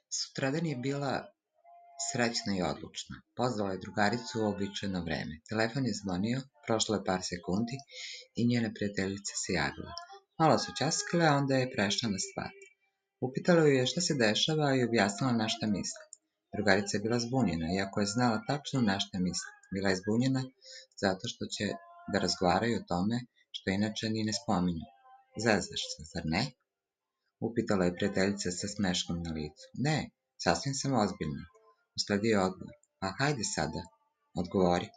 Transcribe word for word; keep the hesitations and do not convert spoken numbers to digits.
Sutradan je bila srećna i odlučna. Pozvala je drugaricu u uobičajeno vreme. Telefon je zvonio, prošlo je par sekundi i njena prijateljica se javila. Malo su ćaskale, a onda je prešla na stvar. Upitala ju je šta se dešava i objasnila na šta misli. Drugarica je bila zbunjena, iako je znala tačno na šta misli. Bila je zbunjena zato što će da razgovaraju o tome što inače ni ne spominju. Zezaš se, zar ne? Upitala je prijateljica sa smeškom na licu. Ne, sasvim sam ozbiljna. Usledio je odgovor. Pa hajde sada, odgovori.